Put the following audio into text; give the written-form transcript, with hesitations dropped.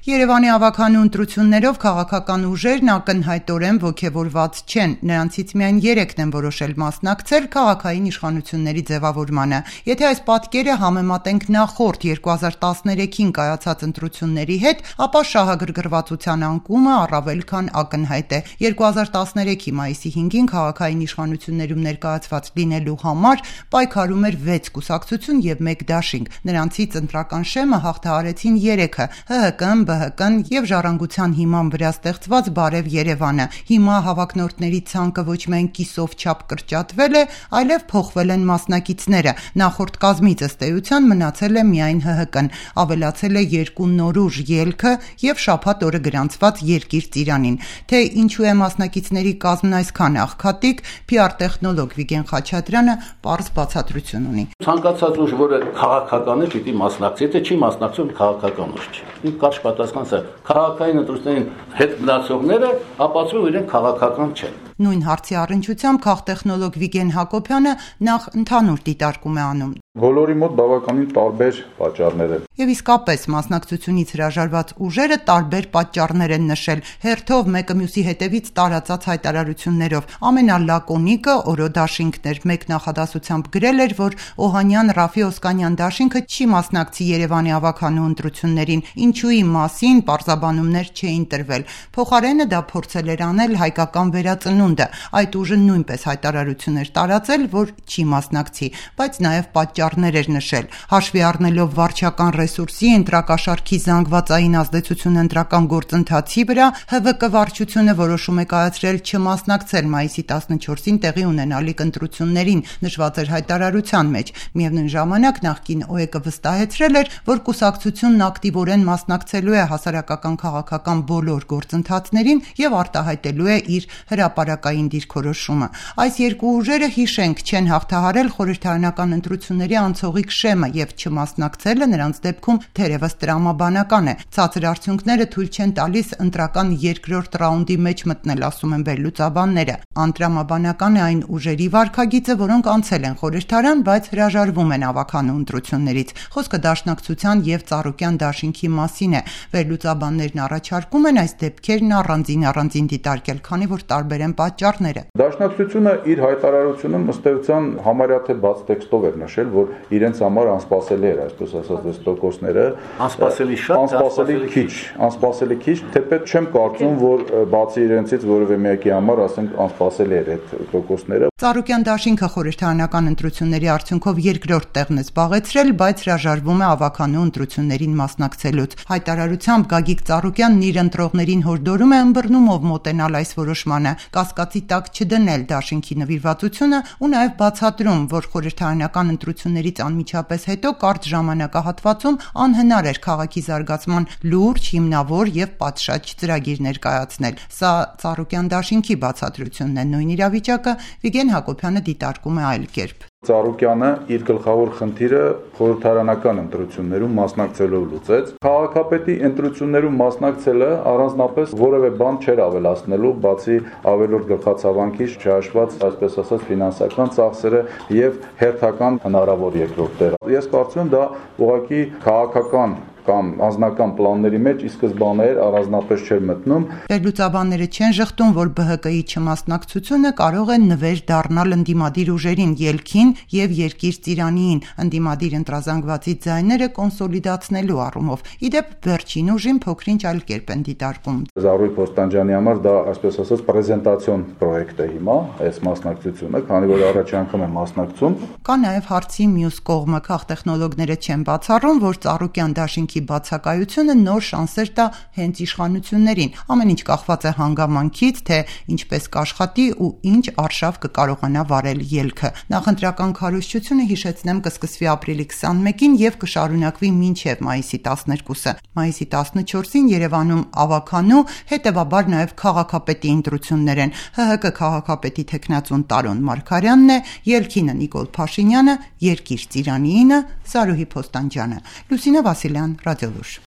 Երևանի ավագանու ընտրություններով քաղաքական ուժերն ակնհայտորեն ոգևորված չեն, նրանցից միայն 3-ն են որոշել մասնակցել քաղաքային իշխանությունների ձևավորմանը։ Եթե այս պատկերը համեմատենք նախորդ 2013-ին կայացած ընտրությունների հետ, ապա շահագրգռվածության անկումը առավել քան ակնհայտ է։ 2013-ի մայիսի 5-ին քաղաքային իշխանություններում ներկայացված լինելու համար պայքարում էր 6 կուսակցություն եւ 1 դաշինք։ Նրանցից ընտրական շեմը հաղթահարեցին 3-ը՝ ՀՀԿ-ն, ԲՀԿ-ն եւ Ժառանգության հիման վրա ստեղծված Բարև Երևանը։ Հիմա հավակնորդների ցանկը ոչ միայն կիսով չափ կրճատվել է, այլև փոխվել են մասնակիցները։ Նախորդ կազմից ըստ էության մնացել է միայն ՀՀԿ-ն, ավելացել է 2 նորուժ՝ ելքը եւ շաբաթ օրը գրանցված Երկիր ծիրանին։ Թե ինչու է մասնակիցների կազմն այսքան աղքատիկ, PR տեխնոլոգ Վիգեն Խաչատրյանը պարզ բացատրություն ունի։ Ցանկացած ուժ, որը քաղաքական է, պիտի մասնակցի, եթե չի մասնակցում, քաղաքական ուժ չի։ Իմ կարճ պատասխանն է, քաղաքային ընտրություններին հետ մնացողները ապացուցում իրենք քաղաքական չեն։ Նույն հարցի առնչությամբ քաղտեխնոլոգ Վիգեն Հակոբյանը նախ ընդհանուր դիտարկում է անում։ Բոլորի մոտ բավականին տարբեր պատճառներ են։ Եվ իսկապես մասնակցությունից հրաժարված ուժերը տարբեր պատճառներ են նշել, հերթով մեկը մյուսի հետևից տարածած հայտարարություններով։ Ամենալակոնիկը Օրո դաշինքն էր, մեկ նախադասությամբ գրել էր, որ Օհանյան Ռաֆի Օսկանյան դաշինքը չի մասնակցի Երևանի ավագանու ընտրություններին, ինչուի մասին պարզաբանումներ չէին տրվել։ Փոխարենը դա փորձել էր անել հայկական վերածնունդը։ Այդ ուժը նույնպես հայտարարություն էր տարածել, որ չի մասնակցի, բայց նաև պատճառներ էր նշել։ Հաշվի առնելով վարչական ռեսուրսի, ընտրակաշառքի զանգվածային ազդեցությունը ընտրական գործընթացի վրա, ՀՎԿ վարչությունը որոշում է կայացրել չմասնակցել մայիսի 14-ին տեղի ունենալիք ընտրություններին, նշված էր հայտարարության մեջ։ Միևնույն ժամանակ նախկին ՕԵԿ-ը վստահեցրել էր, որ կուսակցությունն ակտիվորեն մասնակցելու է հասարակական քաղաքական բոլոր գործընթացներին եւ արտահայտելու է իր հրապարակային դիրքորոշումը։ Այս երկու ուժերը, հիշենք, չեն հաղթահարել խորհրդարանական ընտրությունների անցողիկ շեմը եւ չմասնակցելը նրանց դեպքում թերևս տրամաբանական է։ Ցածր արդյունքները թույլ չեն տալիս ընտրական երկրորդ ռաունդի մեջ մտնել, ասում են վերլուծաբանները։ Անտրամաբանական է այն ուժերի վարքագիծը, որոնք անցել են խորհրդարան, բայց հրաժարվում են ավագանու ընտրություններից։ Խոսքը Դաշնակցության եւ Ծառուկյան դաշինքի մասին է։ Վերլուծաբաններն առաջարկում են այս դեպքերն առանձին դիտարկել, քանի որ տարբեր են պատճառները։ Դաշնակցությունը իր հայտարարությունում ըստ էության համարյա թե բաց տեքստով էր նշել, որ իրենց համար անսպասելի էր, այսպես ասած, այս տոկոսները։ Անսպասելի շատ, անսպասելի քիչ, թեպետ չեմ կարծում, որ բացի իրենցից որևէ մեկի համար, ասենք, անսպասելի էր այդ տոկոսները։ Ծառուկյան դաշինքը խորհրդարանական ընտրությունների արդյունքով երկրորդ տեղն է զբաղեցրել, բայց հրաժարվում է ավագանու ընտրություններին մասնակցելուց։ Հայտարարությամբ Գագիկ Ծառուկյանն իր ընտրողներին հորդորում է ըմբռնումով մոտենալ այս որոշմանը, կասկածի տակ չդնել դաշինքի նվիրվածությունը ու նաև բացատրում, որ խորհրդարանական ընտրություններից անմիջապես հետո կարճ ժամանակահատվածում անհնար էր քաղաքի զարգացման լուրջ, հիմնավոր եւ պատշաճ ծրագիր ներկայացնել։ Սա Ծառուկյան դաշինքի բացատրությունն է, նույն իրավիճակը Վիգեն Հակոբյանը դիտարկում է այլ կերպ։ Ծառուկյանը իր գլխավոր խնդիրը խորհրդարանական ընտրություններում մասնակցելով լուծեց։ Քաղաքապետի ընտրություններում մասնակցելը առանձնապես որևէ բան չէր ավելացնելու, բացի ավելորդ գլխացավանքից չհաշված, այսպես ասած, ֆինանսական ծախսերը եւ հերթական հնարավոր երկրորդ տեղ։ Ես կարծում եմ դա ուղղակի քաղաքական կամ անձնական պլանների մեջ ի սկզբանե առանձնապես չէր մտնում։ Վերլուծաբանները չեն ժխտում, որ ԲՀԿ-ի չմասնակցությունը կարող է նվեր դառնալ ընդդիմադիր ուժերին, ելքին եւ Երկիր ծիրանին, ընդդիմադիր ընտրազանգվածի ձայները կոնսոլիդացնելու առումով։ Իդեպ վերջին ուժին փոքրինչ այլ կերպ են դիտարկում։ Զարուհի Փոստանջյանի համար դա, այսպես ասած, պրեզենտացիոն պրոյեկտ է հիմա, այս մասնակցությունը, քանի որ առաջ անգամ է մասնակցում։ Կա նաեւ հարցի մյուս կողմը, քաղտեխնոլոգները չեն բացառում, որ Ծառուկյան դաշինքի բացակայությունը նոր շանսեր տա հենց իշխանություններին։ Ամեն ինչ կախված է հանգամանքից, թե ինչպես կաշխատի ու ինչ արշավ կկարողանա վարել ելքը։ Նախընտրական քարոզչությունը, հիշեցնեմ, կսկսվի ապրիլի 21-ին եւ կշարունակվի մինչեւ մայիսի 12-ը։ Մայիսի 14-ին Երևանում ավագանու, հետեւաբար նաեւ քաղաքապետի ընտրություններ են։ ՀՀԿ քաղաքապետի թեկնածուն Տարոն Մարգարյանն է, ելքինը Նիկոլ Փաշինյանը, Երկիր ծիրանինը Զարուհի Փոստանջյանը։ Լուսինե Վասիլյան, Ռադիոլուր։